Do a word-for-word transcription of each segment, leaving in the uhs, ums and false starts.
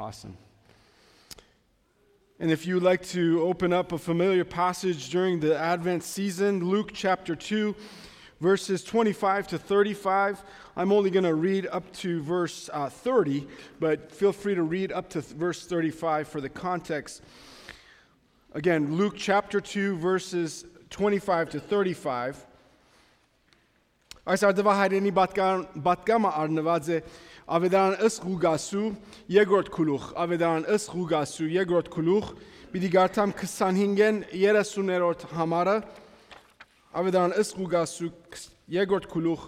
Awesome. And if you would like to open up a familiar passage during the Advent season, Luke chapter two, verses twenty-five to thirty-five. I'm only gonna read up to verse, uh, thirty, but feel free to read up to th-, verse thirty-five for the context. Again, Luke chapter two, verses twenty-five to thirty-five. Այս արդուայ հայրենի պատկան-, պատգամը առնուած է Աւետարան ըստ Ղուկասու երկրորդ գլուխ, Աւետարան ըստ Ղուկասու երկրորդ գլուխ, պիտի կարդամ քսանհինգէն երեսուններորդ համարը, Աւետարան ըստ Ղուկասու քս-, երկրորդ գլուխ,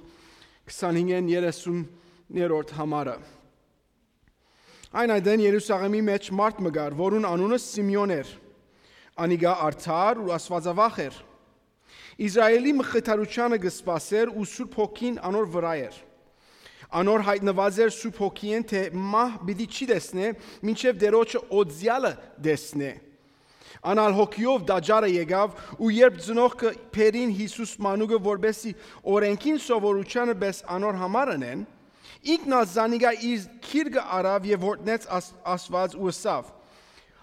քսանհինգէն երեսուններորդ համարը։ Այն ատեն Երուսաղէմի մէջ մարդ մը կար, որուն անունը Սիմէոն էր։ Անիկա արդար ու աստուածավախ էր։ Իսրայէլի մխիթարութեանը կը սպասէր ու Սուրբ Հոգին անոր վրայ էր։ Անոր յայտնուած էր Սուրբ Հոգիէն, թէ մահ պիտի չի տեսնէ, մինչեւ Տէրոջը օծեալը տեսնէ։ Ան ալ հոգիով տաճարը եկաւ ու երբ ծնողքը բերին Յիսուս մանուկը, որպէսզի օրէնքին սովորութեանը պէս անոր համար ընեն, ինքն ալ զանիկա իր գիրկը առաւ եւ յորդնեց Աս-, Աստուած ու ըսաւ.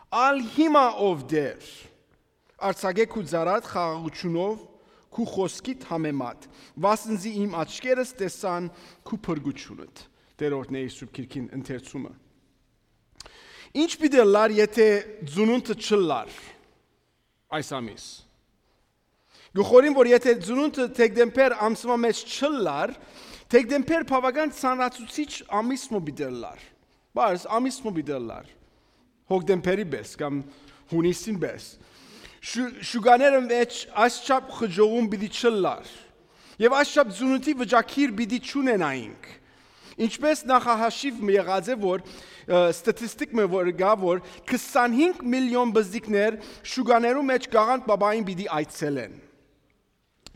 «Ալ հիմա, ով Տէր, արձակէ քու ծառադ խաղաղութիւնով, քու խօսքիդ համեմատ, վասնզի իմ աչքերս տեսան քու փրկութիւնդ»։ Տէրոջը Սուրբ Գիրքին ընթերցումը։ Ի՞նչ պիտի ըլլար, եթէ ծնունդը չըլլար այս ամիս։ Կը խորհեմ, որ եթէ ծնունդը դեկտեմբեր ամսվա մէջ չըլլար, դեկտեմբեր բաւական ծանրացուցիչ ամիս մը պիտի ըլլար։ Բայց ամիս մը պիտի ըլլար։ Հոկտեմբերի պէս կամ յունիսին պէս։ Շու-, շուկաները մէջ այսչափ խճողում պիտի չըլլար։ Եւ այսչափ ծնունդի վիճակիր պիտի չունենայինք։ Ինչպէս նախահաշիւ մը եղած է, որ, ը, ստատիստիկ մը որ կայ, որ քսանհինգ միլիոն բզդիկներ շուկաներու մէջ Գաղանդ Պապային պիտի այցելեն։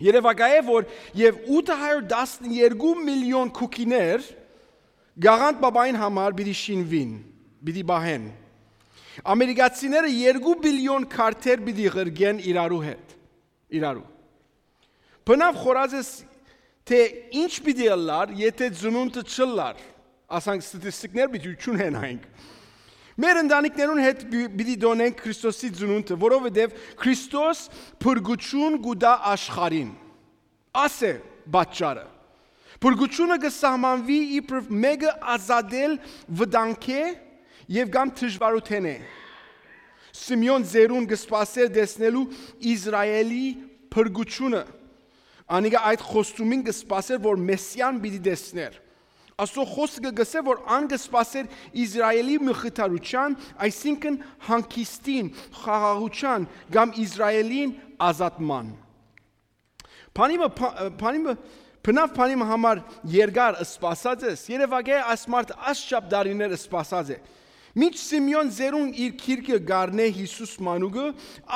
Երեւակայ է, որ եւ ութը հարիւր տասներկու միլիոն քուքիներ Գաղանդ Պապային համար պիտի շինուին, պիտի պահեն։ Ամերիկացիները երկու բիլիոն քարթեր պիտի ղրկեն իրարու հետ, իրարու։ Բնաւ խորհած ես, թէ ի՞նչ պիտի ըլլար, եթէ ծնունդը չըլլար, ասենք ստատիստիկներ պիտի չունենայինք։ Մեր ընտանիքներուն հետ պի-, պիտի տօնենք Քրիստոսի ծնունդը, որովհետեւ Քրիստոս փրկութիւն կու տայ աշխարհին։ Աս է պատճառը։ Փրկութիւնը կը սահմանուի իբրեւ մէկը ազատել վտանգէ եւ կամ դժուարութենէ։ Սիմէոն ծերուն կը սպասէր տեսնելու Իսրայէլի փրկութիւնը։ Անիկա այդ խոստումին կը սպասէր, որ Մեսիան պիտի տեսնէր։ Աստուծոյ խօսքը կ'ըսէ, որ ան կը սպասէր Իսրայէլի մխիթարութեան, այսինքն՝ հանգիստին, խաղաղութեան կամ Իսրայէլին ազատման։ Բանի մը, բա-, բանի մը, բնաւ բանի մը համար երկար սպասած ես, երեւակայ այս մարդը այսչափ տարիներ սպասած է։ Մինչ Սիմէոն ծերուն իր գիրկը կ'առնէ Յիսուս մանուկը,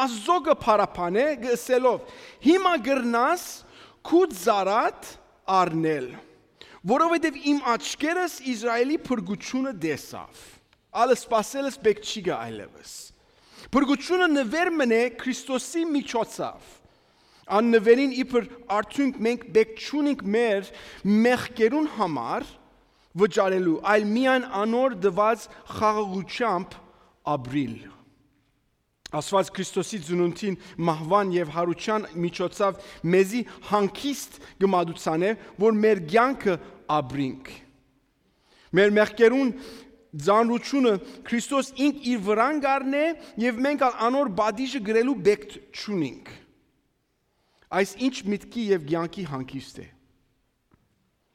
Աստուծոյ կը փառաբանէ, կը ըսելով. «Հիմա կրնաս քու ծառադ առնել, որովհետեւ իմ աչքերս Իսրայէլի փրկութիւնը տեսաւ»։ Ալ սպասելս պէք չի գայ այլեւս։ Փրկութիւնը նուէր մըն է Քրիստոսի միջոցով։ Ան նուէրին իբր արդիւնք մենք պէք չունենք մեր մեղքերուն համար վճարելու, այլ միայն անոր տուած խաղաղութեամբ ապրիլ։ Աստուած Քրիստոսի ծնունդին, մահուան եւ յարութեան միջոցով մեզի հանգիստ կը մատուցանէ, որ մեր կեանքը ապրինք։ Մեր մեղքերուն ծանրութիւնը Քրիստոս ինք իր վրան կ'առնէ եւ մենք ալ անոր պատիժը կրելու պէք չունինք։ Այս ի՞նչ միտքի եւ կեանքի հանգիստ է։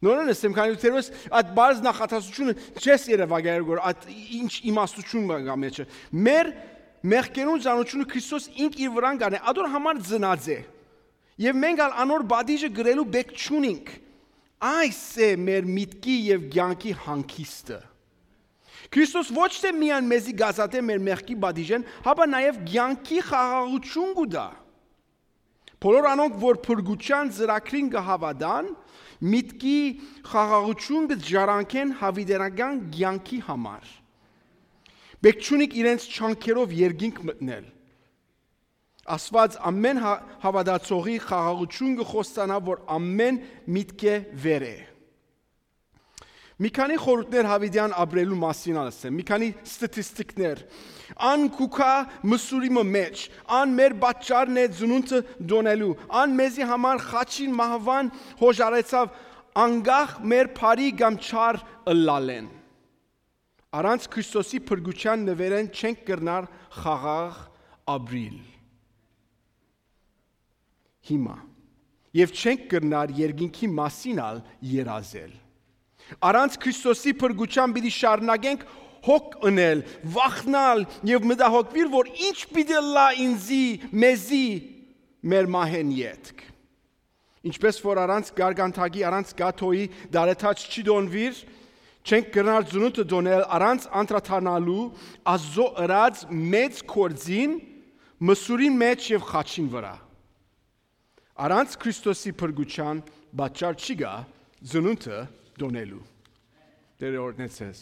Նորեն ըսեմ, քանի դու թերևս այդ բարձ նախատասությունը չես երևակայել, որ այդ ինչ իմաստություն կա մեջը։ Մեր մեղքերուն ծանրութիւնը Քրիստոս ինք իր վրան կ'առնէ, ադոր համար ծնած է։ Եւ մենք ալ անոր պատիժը կրելու պէք չունինք։ Այս է մեր միտքի եւ կեանքի հանգիստը։ Քրիստոս ոչ թե միայն մեզի կ'ազատէ մեր մեղքի պատիժէն, հապա նաեւ կեանքի խաղաղութիւն կու տայ։ Բոլոր անոնք, որ փրկութեան ծրագրին կը հաւատան, միտքի խաղաղութիւն կը ժառանգեն յաւիտենական կեանքի համար։ Պէք չունինք իրենց չանքերով երկինք մտնել։ Աստուած ամէն հա-, հաւատացողի խաղաղութիւն կը խոստանայ, որ ամէն միտքէ վեր է։ Մի քանի խորհուրդներ Յաւիտեան ապրելու մասին ալ ըսեմ, մի քանի ստատիստիկներ։ Ան կու գայ Մսուրի մը մէջ, ան մեր պատճառն է ծնունդը տոնելու, ան մեզի համար խաչին մահուան յօժարեցաւ, անկախ մեր բարի կամ չար ըլլալէն։ Առանց Քրիստոսի փրկութեան նուէրէն չենք կրնար խաղաղ ապրիլ։ Հիմա։ Եւ չենք կրնար երկինքի մասին ալ երազել։ Առանց Քրիստոսի փրկութեան պիտի շարունակենք հոգ ընել, վախնալ եւ մտահոգուիլ, որ ինչ պիտի ըլլայ ինծի, մեզի, մեր մահէն ետք։ Ինչպէս որ առանց գարգանթակի, առանց կաթոյի տարեթաց չի տոնուիր, չենք կրնար ծնունդը տոնել առանց անդրադառնալու Աստուծոյ ըրած մեծ գործին Մսուրին մէջ եւ խաչին վրայ։ Առանց Քրիստոսի փրկութեան պատճառ չի գայ ծնունդը տոնելու։ Տէրը օրհնեցես։